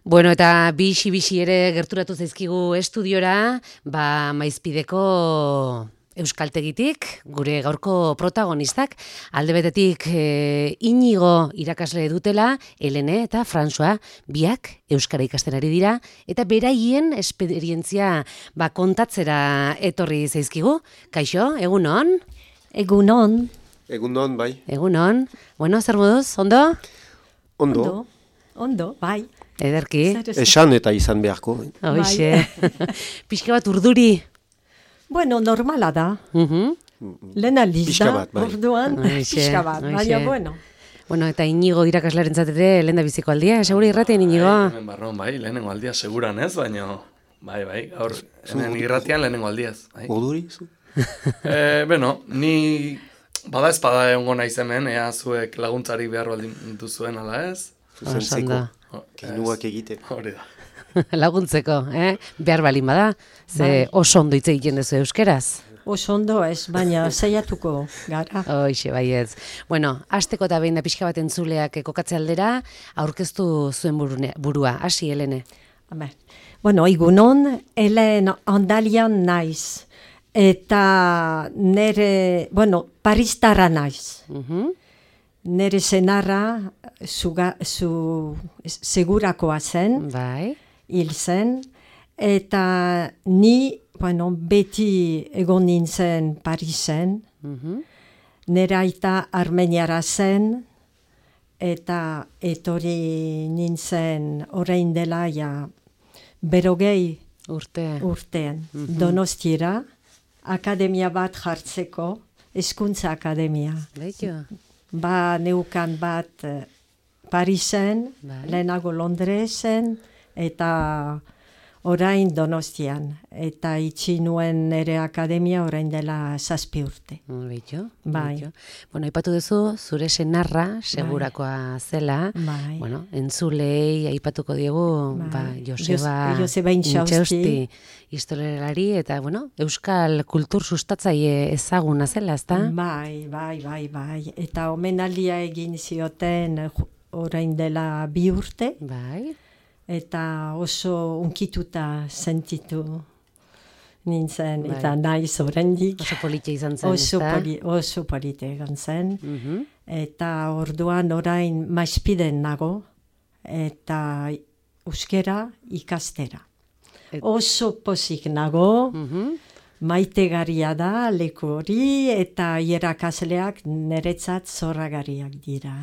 Bueno, eta bixi ere gerturatu zaizkigu estudiora, Maizpideko euskaltegitik, gure gaurko protagonistak, alde betetik Inigo irakasle dutela, Helene eta François, biak euskara ikasten ari dira, eta beraien esperientzia kontatzera etorri zaizkigu. Kaixo, egunon? Egunon. Egunon, bai. Egunon. Bueno, zer moduz, ondo? Ondo, bai. Ederki. Esan eta izan beharko. Hoixe. Pixka bat urduri. Bueno, normala da. Lehen aldiz da, orduan, pixka bat, baina bueno. Bueno, eta Inigo irakaslaren zatete lehen da biziko aldia, segura irratien Inigo? Hemen barron, bai, lehenengo aldia seguran ez, baina, bai, gaur, hemen irratian lehenengo aldiaz. Urduri? Beno, ni bada espada egongo naiz hemen, ea zuek laguntzari behar baldin duzuen ala ez? Zuzentzeko, keinuak egite. Hori da. Laguntzeko, behar balin bada, ze oso ondo hitz egiten duzu euskeraz. Oso ondo ez, baina saiatuko gara. Hoixe, baietz. Bueno, hasteko eta behin da pixka bat entzuleak kokatze aldera, aurkeztu zuen burua. Hasi, Helene. Bueno, egunon, Helen Andalian naiz. Eta nere, Paristarra naiz. Nere senarra segurakoa zen, hil zen, eta ni, beti egon nintzen Parisen, nere aita Armeniara zen, eta etorri nintzen orain dela berogei urtean. Donostiara, akademia bat jartzeko, hezkuntza akademia. Neukan bat Parisen, lehenago Londresen, eta orain Donostian. Eta itxi nuen nire akademia orain dela 7 urte. Bai. Bueno, aipatu duzu, zure senarra, segurakoa zela. Bueno, entzulei aipatuko diegu, Joseba Intxausti historialari, eta, euskal kultur sustatzaile ezaguna zela, ezta? Bai. Eta omenaldia egin zioten orain dela 2 urte. Bai. Eta oso unkituta sentitu nintzen, eta naiz oraindik. Oso politia izan zen, ezta? Oso politia izan zen. Eta orduan orain Maizpiden nago, eta euskera ikastera. Oso pozik nago, maitegarria da leku hori, eta irakasleak niretzat zorragarriak dira.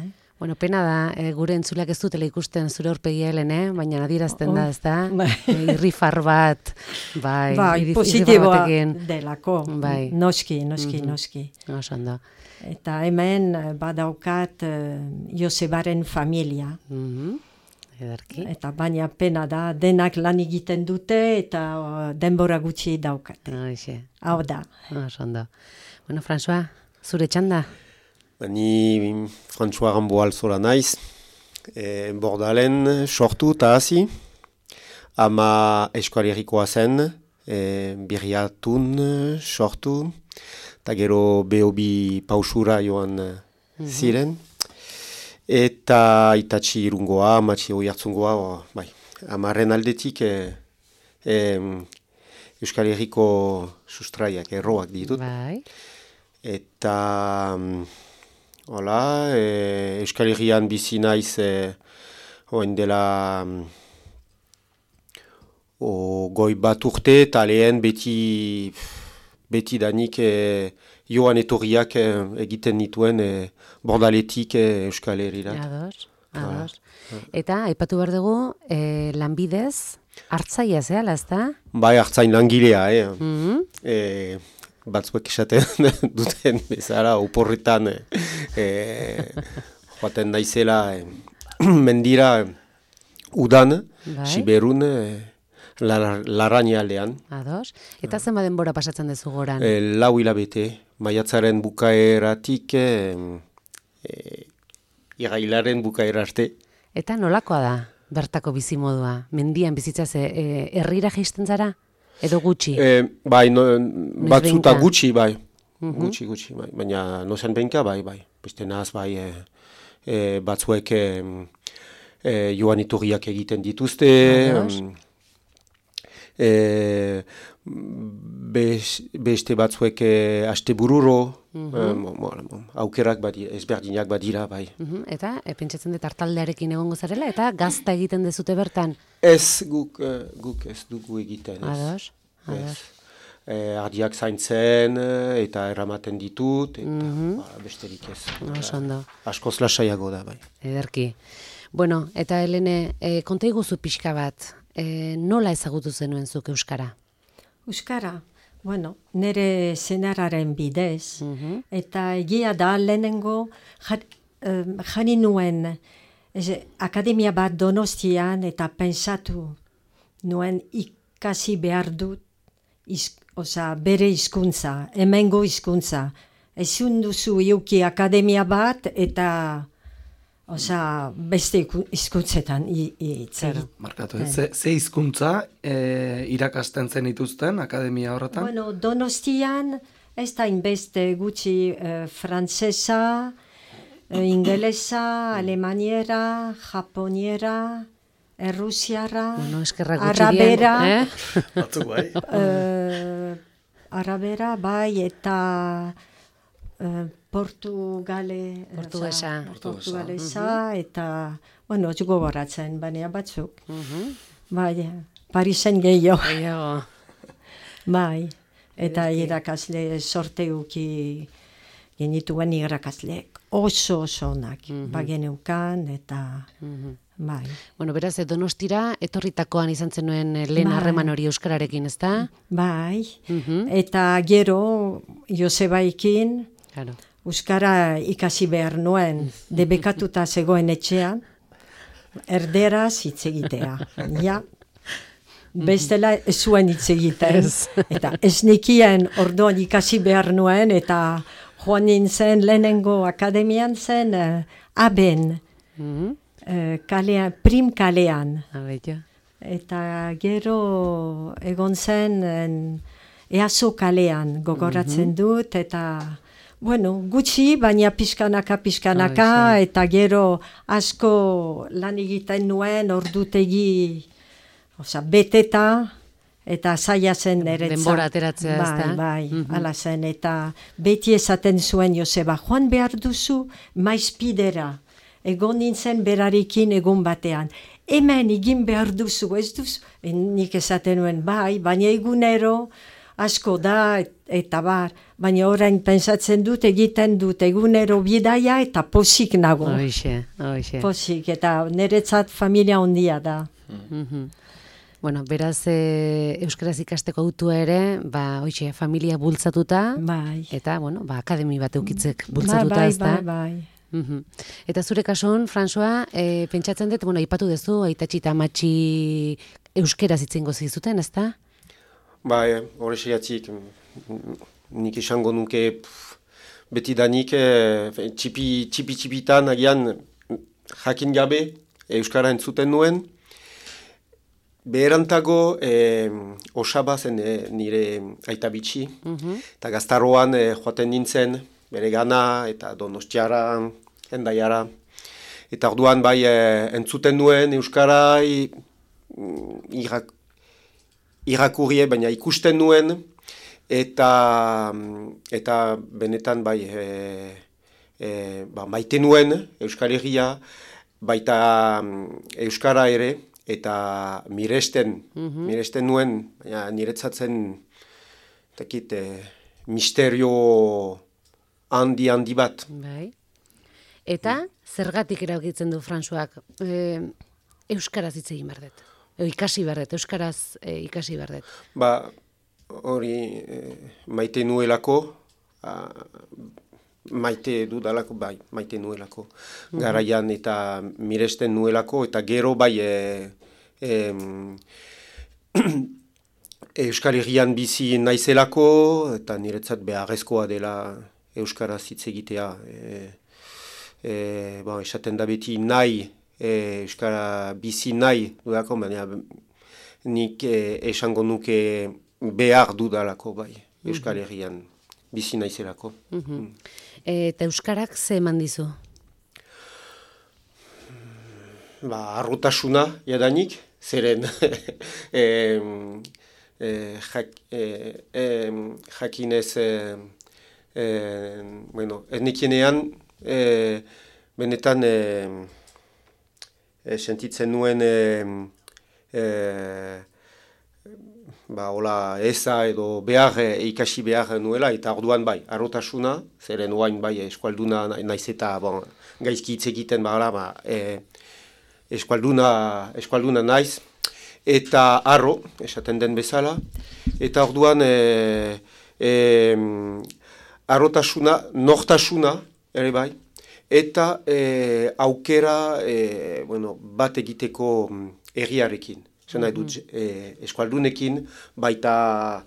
Bueno, pena da, gure entzuleak ez dutela ikusten zure aurpegia, Helene, baina adierazten da, ez da? Irrifar bat, positiboa delako, noski. Oso ondo. Eta hemen badaukat Josebaren familia. Edarki. Eta baina pena da, denak lan egiten dute eta denbora gutxi daukate. Hau da. Oso ondo. Bueno, François, zure txanda? Ni François Rambo alzora naiz, Bordalen sortu eta hasi, ama eskualerikoa zen, Birriatun sortu, eta gero Beobi pausura joan ziren, eta itatxi irungoa, amatxi oiartzungoa, amaren aldetik Euskal Herriko sustraiak, erroak ditut. Eta Euskal Herrian bizi naiz oen dela goi bat urte, eta lehen beti danik joan etorriak egiten nituen Bordaletik Euskal Herrira. Ados. Eta, aipatu behar dugu, lanbidez, hartzaia zehala, ezta? Bai, hartzain langilea, batzuek esaten duten bezala, oporretan joaten naizela mendira udan, Siberun, Larraña aldean. Ados. Eta zenba denbora pasatzen dezu goran? 4 hilabete, maiatzaren bukaeratik irailaren bukaera arte. Eta nolakoa da bertako bizimodua? Mendian bizitzaz herrira jaisten zara? Edo gutxi? Batzuta gutxi, bai. Gutxi, baina nozen benka, bai. Beste naz, batzuek joan iturriak egiten dituzte, beste batzuek astebururo, aukerak ezberdinak badira, bai. Eta, pentsatzen dut hartaldearekin egongo zarela, eta gazta egiten dezute bertan? Ez, guk ez dugu egiten. Ados. Ardiak zaintzen, eta erramaten ditut, eta besterik ez. Askoz lasaiago da, bai. Ederki. Bueno, eta Helene, konta iguzu pixka bat, nola ezagutu zenuen zuk euskara? Euskara? Bueno, nire senarraren bidez, eta egia da lehenengo jari nuen akademia bat Donostian eta pensatu nuen ikasi behar dut bere hizkuntza, hemengo hizkuntza. Ezin duzu iuki akademia bat eta beste hizkuntzetan itzera. Markatu, ze hizkuntza irakasten zen ituzten akademia horretan? Bueno, Donostian ez da inbeste gutxi frantsesa, ingelesa, alemaniera, japoniera, errusiara, arabera, arabera, bai, eta portugalesa, eta, bueno, ez gogoratzen, baina batzuk. Bai, Parisen gehiago. Bai, eta irakasle sorteuki genituen irakasleek oso onak, bageneukan, eta... Bai. Bueno, beraz, Donostira etorritakoan izan zenuen lehen harreman hori euskararekin, ezta? Bai, eta gero Josebaikin euskara ikasi behar nuen, debekatuta zegoen etxean, erderaz hitz egitea. Ja, bestela ez zuen hitz egiten. Eta ez nekien orduan ikasi behar nuen, eta joan nintzen lehenengo akademian zen Aben. Prim kalean. Eta gero egon zen Easo kalean gogoratzen dut, eta bueno, gutxi, baina pixkanaka, eta gero asko lan egiten nuen ordutegi beteta, eta zaila zen eretzat. Denbora ateratzea, ez da? Bai, ala zen, eta beti esaten zuen Joseba, joan behar duzu maizpidera. Egon nintzen berarekin egun batean. Hemen egin behar duzu, ez duzu? Nik esaten nuen, bai, baina egunero asko da eta bar. Baina orain pensatzen dut, egiten dut egunero bidaia eta posik nago. Hoxe. Posik, eta niretzat familia ondia da. Bueno, beraz, euskaraz ikasteko autua ere, hoxe, familia bultzatuta, eta, bueno, akademi bat eukitzek bultzatuta, ez da? Bai. Eta zure kasuan, François, pentsatzen dut, aipatu duzu, aitatxi eta amatxi euskeraz itzengo zizuten, ez da? Bai, horrexegatik, nik esango nuke betidanik txipi-txipitan agian jakin gabe euskara entzuten nuen. Beherantago osaba zen nire aitabitxi, eta gaztaroan joaten nintzen, bere gana eta Donostiara, Hendaiara. Eta orduan bai entzuten nuen euskara irakurrie, baina ikusten nuen, eta benetan bai maite nuen Euskal Herria, baita euskara ere, eta miresten nuen, baina niretzatzen misterio handi bat. Bai. Eta zergatik erabakitzen du Françoak euskaraz hitz egin behar dut? Ikasi behar dut, euskaraz ikasi behar dut? Hori maite nuelako, maite dudalako, bai, maite nuelako. Garaian eta miresten nuelako, eta gero bai Euskal Herrian bizi naizelako, eta niretzat beharrezkoa dela euskaraz hitz egitea. Esaten da beti nahi, euskara bizi nahi dudako, baina nik esango nuke behar dudalako, bai, Euskal Herrian bizi naizelako. Eta euskarak ze eman dizu? arrotasuna jadanik, zeren jakinez, ez nekienean, benetan sentitzen nuen hola eza edo ikasi behar nuela, eta orduan bai, arrotasuna, zeren oain bai eskualduna naiz eta gaizki hitz egiten eskualduna naiz, eta arro, esaten den bezala, eta orduan arrotasuna, nortasuna, ere bai, eta aukera bat egiteko herriarekin. Zena dut, eskualdunekin, baita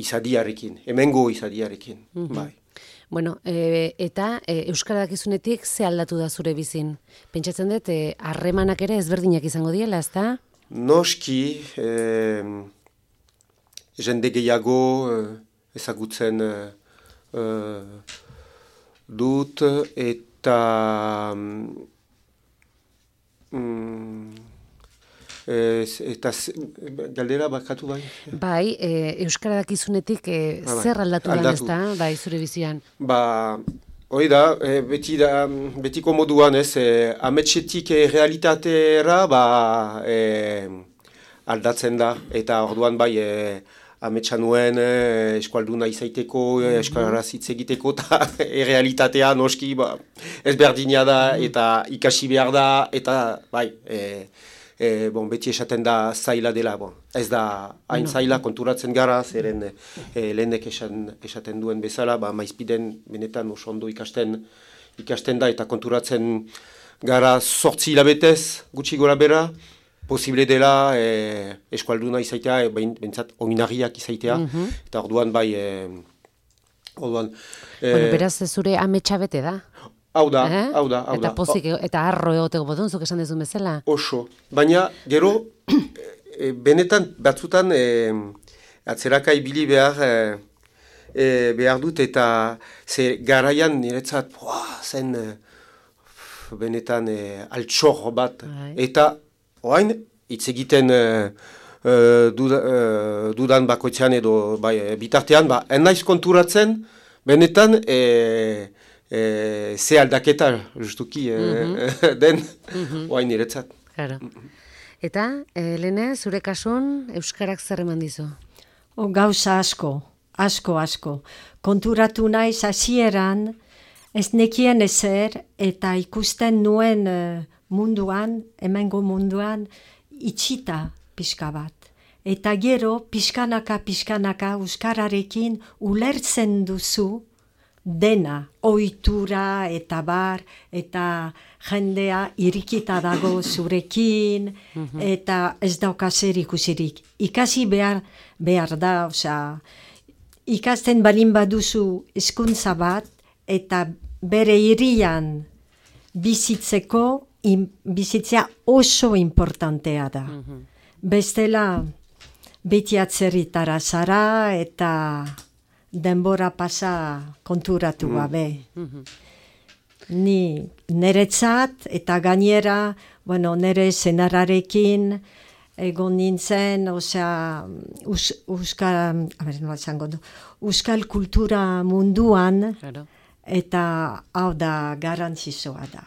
izadiarekin, hemengo izadiarekin, bai. Bueno, eta Euskara dakizunetik ze aldatu da zure bizin? Pentsatzen dut, harremanak ere ezberdinak izango diela, ezta? Noski, jende gehiago ezagutzen dut, eta eta galdera bakatu bai? Bai, Euskara dakizunetik zer aldatu da, ezta, bai, zure bizian? Hori da, betiko moduan ez, ametsetik realitatera aldatzen da, eta orduan bai, ametsa nuen eskualduna izaiteko, eskaraz hitz egiteko, eta realitatea noski ezberdina da, eta ikasi behar da, eta bai, beti esaten da zaila dela, ez da hain zaila konturatzen gara, zeren lehenek esaten duen bezala, maizpiden benetan oso ondo ikasten da, eta konturatzen gara 8 hilabetez gutxi gora bera, posible dela eskualduna izaitea, bentsat oinarriak izaitea, eta orduan bai, beraz zure ametsa bete da? Hau da. Eta pozik, eta arro egoteko bodun, zuk esan dezun bezala? Oso, baina gero, benetan batzutan atzeraka ibili behar dut, eta ze garaian niretzat, zen benetan altxor bat, eta oain, hitz egiten dudan bakoitzean edo bitartean, en naiz konturatzen, benetan ze aldaketa justuki den oain niretzat. Claro. Eta, Helene, zure kasun, Euskarak zer eman dizu? Gauza asko. Konturatu naiz hasieran, ez nekien ezer, eta ikusten nuen munduan, hemengo munduan, itxita pixka bat. Eta gero, pixkanaka euskararekin ulertzen duzu dena, ohitura eta bar, eta jendea irikita dago zurekin, eta ez dauka zer ikusirik. Ikasi behar da, ikasten balin baduzu hizkuntza bat, eta bere hirian bizitzea oso importantea da. Bestela, beti atzerritara zara eta denbora pasa konturatu gabe. Ni neretzat eta gainera, nere senarrarekin egon nintzen, euskal kultura munduan, eta hau da garrantzitsua da.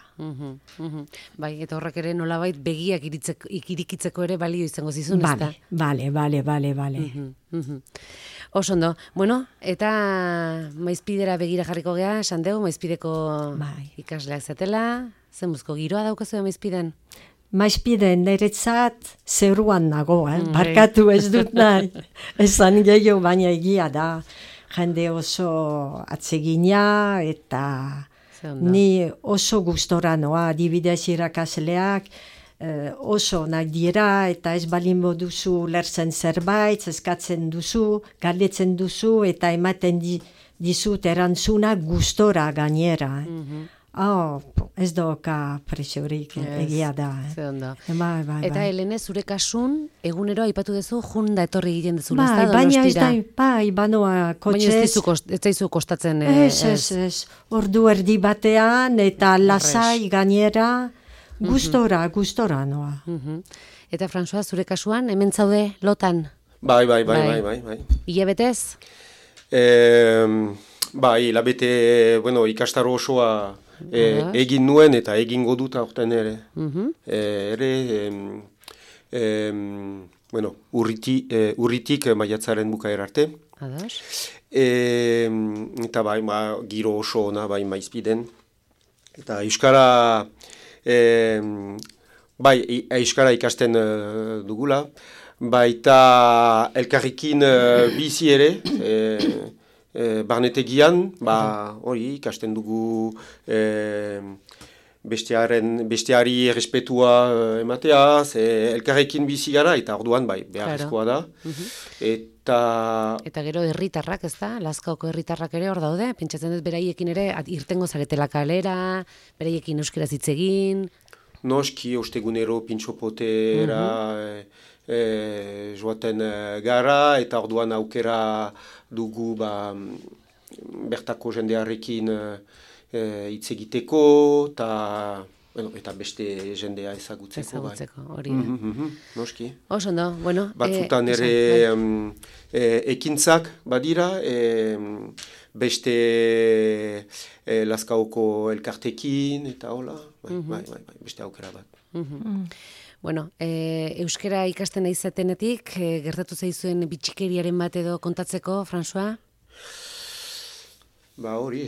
Bai, eta horrek ere nolabait begiak ikirikitzeko ere balio izango zizun, ezta? Bale. Oso ondo. Bueno, eta Maizpidera begira jarriko gea, esan dugu, Maizpideko ikasleak zatela, zenbuzko giroa daukazu Maizpiden? Maizpiden niretzat zeruan nago, barkatu ez dut nahi. Esan gehiago, baina egia da. Jende oso atsegina eta ni oso gustora noa, adibidez irakasleak oso nahi dira eta ez balin duzu lertzen zerbait, eskatzen duzu, galdetzen duzu eta ematen dizut erantzuna gustora gainera. Ez doka presiorik, egia da. Ze ondo. Bai. Eta Helene, zure kasun, egunero aipatu duzu, junda etorri egiten dezula, ez da, Baina ez Donostira? da, banoa Baina ez kotxez. zaizu kostatzen. Ez. Ordu erdi batean, eta lasai gainera, gustora noa. Eta François, zure kasuan, hemen zaude lotan? Bai. Hilabetez? Bai, labete, ikastaro osoa egin nuen eta egingo dut aurten ere. Urritik maiatzaren bukaera arte. Ados. Eta bai, giro oso ona, bai, maizpiden. Eta euskara, euskara ikasten dugula. Baita elkarrekin bizi ere, barnetegian, hori ikasten dugu besteari errespetua ematea, elkarrekin bizi gara, eta orduan beharrezkoa da. Eta gero herritarrak, ez da? Lazkaoko herritarrak ere hor daude, pentsatzen dut beraiekin ere irtengo zaretela kalera, beraiekin euskeraz hitz egin. Noski, ostegunero pintxopotera joaten gara, eta orduan aukera dugu bertako jendearekin hitz egiteko, eta beste jendea ezagutzeko. Hori da. Noski. Osondo, bueno. Batzutan ere ekintzak badira, beste Lazkaoko elkartekin, eta hola, beste aukera bat. Bueno, euskara ikasten izatenetik, gertatu zaizuen bitxikeriaren bat edo kontatzeko, François? Hori,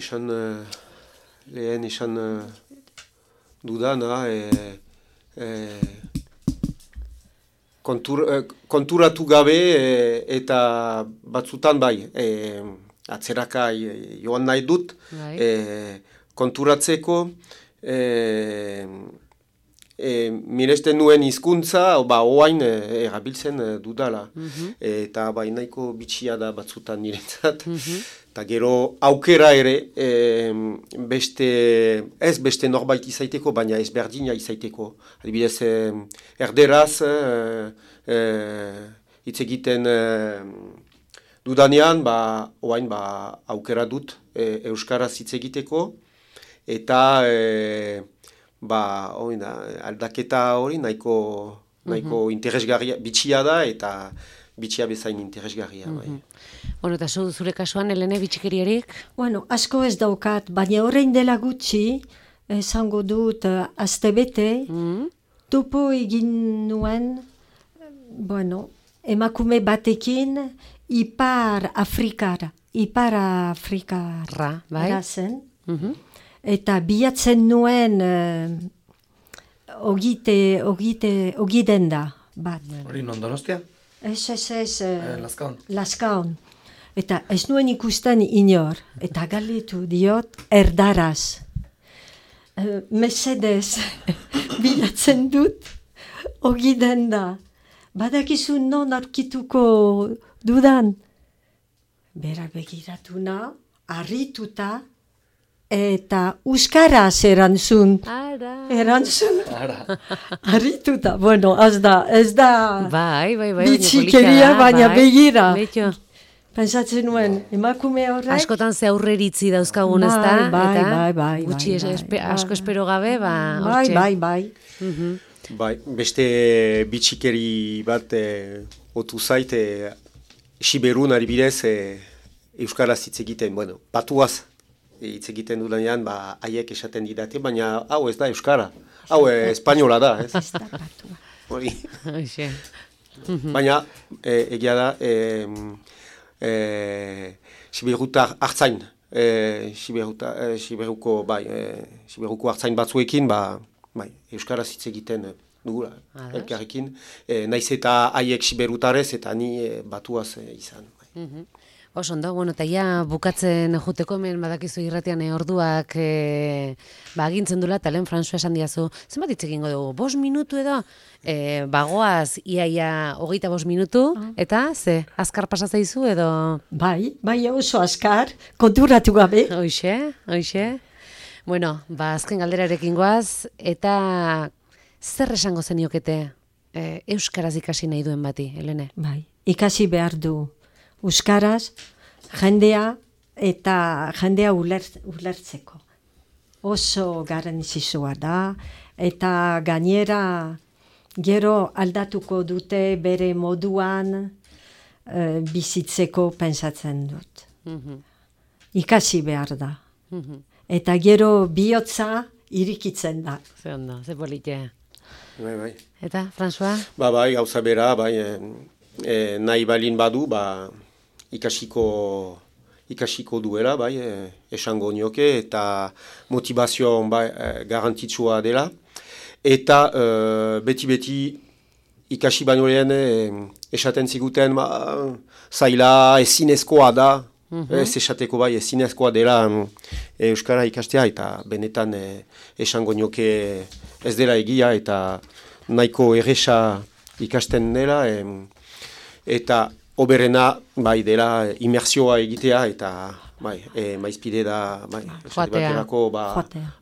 lehen esan dudana, konturatu gabe eta batzutan atzeraka joan nahi dut, konturatzeko, miresten nuen hizkuntza, oain erabiltzen dudala. Eta nahiko bitxia da batzutan niretzat. Eta gero aukera ere, beste norbait izaiteko, baina ez berdina izaiteko. Adibidez, erderaz, hitz egiten dudanean, oain aukera dut euskaraz hitz egiteko, eta aldaketa hori nahiko interesgarria, bitxia da, eta bitxia bezain interesgarria. Bueno, eta zure kasuan, Helene, bitxikeriarik? Bueno, asko ez daukat, baina horrein dela gutxi, esango dut, astebete, topo egin nuen, emakume batekin, Ipar Afrikara zen. Eta bilatzen nuen ogiden da bat. Hori non Donostia? Ez. Lazkaon. Eta ez nuen ikusten inor. Eta galdetu diot erdaraz. Mesedez, bilatzen dut ogiden da. Badakizu non aurkituko dudan. Berak begiratu na, harrituta, eta euskaraz erantzun. Harrituta. Bueno, ez da bitxikeria, baina begira. Pentsatzen nuen, emakume horrek. Askotan ze aurreritzi dauzkagun, ez da? Bai. Gutxi asko espero gabe, Bai. Beste bitxikeri bat otu zait, Siberun adibidez euskaraz hitz egiten, patuaz hitz egiten dudanean, haiek esaten didate, baina hau ez da euskara, hau espainola da, ez? Ez da patua. Hori. Baina, egia da, Siberutar hartzain, Siberuko hartzain batzuekin, euskaraz hitz egiten dugula, elkarrekin, naiz eta haiek siberutarez eta ni batuaz izan. Osondo, eta ja bukatzen joteko hemen badakizu irratian orduak agintzen dula, eta lehen François esan diazu, zenbat hitz egingo dugu, 5 minutu edo? Bagoaz, iaia 25 minutu, eta ze, azkar pasa zaizu edo? Bai, oso azkar, konturatu gabe. Hoxe. Bueno, azken galderarekin goaz, eta zer esango zeniokete euskaraz ikasi nahi duen bati, Helene? Bai, ikasi behar du euskaraz, jendea eta jendea ulertzeko. Oso garrantzitsua da, eta gainera gero aldatuko dute bere moduan bizitzeko pensatzen dut. Ikasi behar da. Eta gero bihotza irikitzen da. Ze ondo, ze polite. Bai. Eta, François? Bai, gauza bera, bai, nahi balin badu, ikasiko duela, bai, esango nioke, eta motivazio bai, garrantzitsua dela. Eta beti ikasi baino lehen esaten ziguten zaila ezinezkoa da, ez esateko bai ezinezkoa dela euskara ikastea, eta benetan esango nioke ez dela egia, eta nahiko erresa ikasten dela, eta oberena bai dela imersioa egitea, eta bai, maizpide da baterako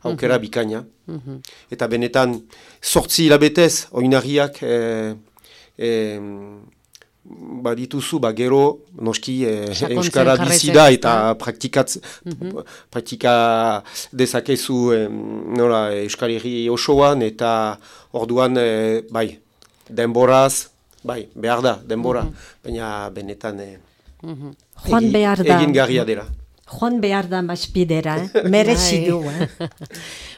aukera bikaina. Eta benetan 8 hilabetez oinarriak badituzu, gero noski euskara bizida eta praktika dezakezu euskarri osoan, eta orduan bai, denboraz, bai, behar da, denbora, baina benetan egin garria dela. Joan behar da maizpidera, merezi du,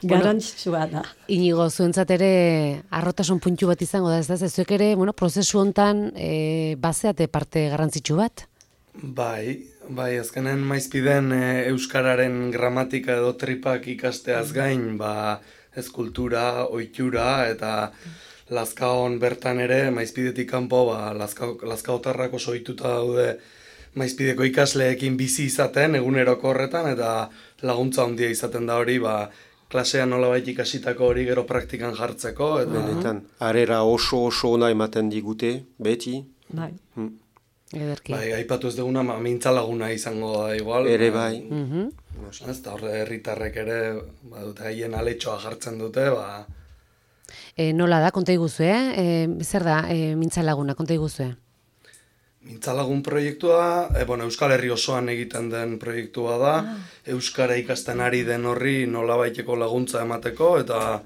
garantzitsua da. Inigo, zuentzat ere arrotasun puntu bat izango da, ez da? Zuek ere, prozesu hontan bazeate parte garrantzitsu bat? Bai, azkenen maizpiden euskararen gramatika edo tripak ikasteaz gain, ez kultura, ohitura eta Lazkaon bertan ere, maizpidetik kanpo, Lazkaotarrak oso ohituta daude maizpideko ikasleekin bizi izaten, eguneroko horretan, eta laguntza handia izaten da hori, klasean nolabait ikasitako hori gero praktikan jartzeko. Benetan, arera oso ona ematen digute, beti. Bai. Ederki. Bai, aipatu ez duguna, mintzalaguna izango da igual. Ere bai. Ez da horre herritarrek ere, dute haien aletxoa jartzen dute, Nola da, konta iguzue, zer da mintzalaguna, konta iguzue? Mintzalagun proiektua, Euskal Herri osoan egiten den proiektua da, euskara ikasten ari den horri nolabaiteko laguntza emateko, eta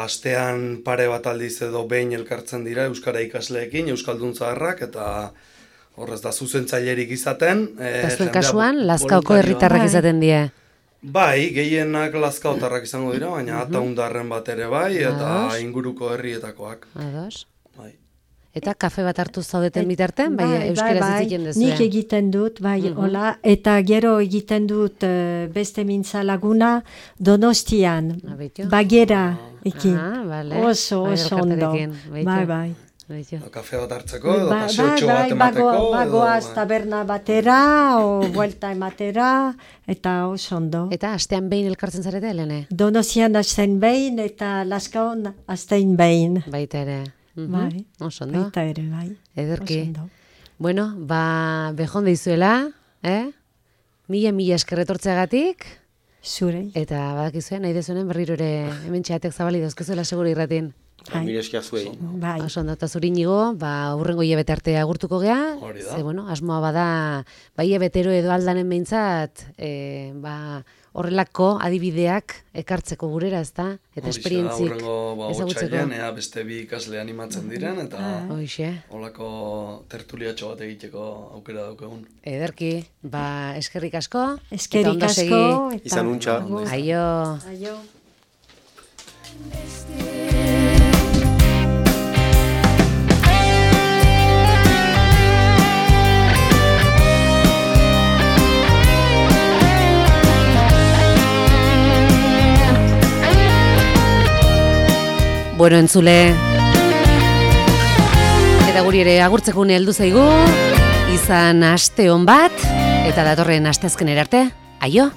astean pare bat aldiz edo behin elkartzen dira euskara ikasleekin, euskaldun zaharrak, eta horrez da zuzentzailerik izaten. Eta zuen kasuan, Lazkaoko herritarrak izaten die? Bai, gehienak Lazkaotarrak izango dira, baina Ataundarren bat ere bai, eta inguruko herrietakoak. Ados. Bai. Eta kafe bat hartu zaudeten bitartean, euskaraz egiten duzu. Nik egiten dut, hola, eta gero egiten dut beste mintzalaguna Donostian, Bagera ekin. Oso ondo. Bai. Kafe bat hartzeko, edo paseotxo bat emateko. Bagoaz taberna batera, o vuelta ematera, eta oso ondo. Eta astean behin elkartzen zarete, Helene? Donostian astean behin, eta Lazkaon astean behin. Baita ere. Bai, baita ere, bai. Ederki. Bueno, behon deizuela, mila eskerretortzeagatik. Zure. Eta badakizuen, nahi dezuenen berriro ere hemen txatek zabali dauzkezuela segura irratin. Mila esker zuei. Oso ondo, eta zuri Inigo, hurrengo hilabete arte agurtuko gea. Hori da. Asmoa bada, hilabetero edo aldanen behintzat, horrelako adibideak ekartzeko gurera, ezta? Eta esperientzik ezagutzeko. Ea beste bi ikasle animatzen diren, eta holako tertuliatxo bat egiteko aukera daukegun. Ederki, eskerrik asko. Eskerrik asko. Izan untxa. Aio. Bueno, entzule, eta guri ere agurtzeko une heldu zaigu, izan aste on bat, eta datorren asteazkenera arte, aio!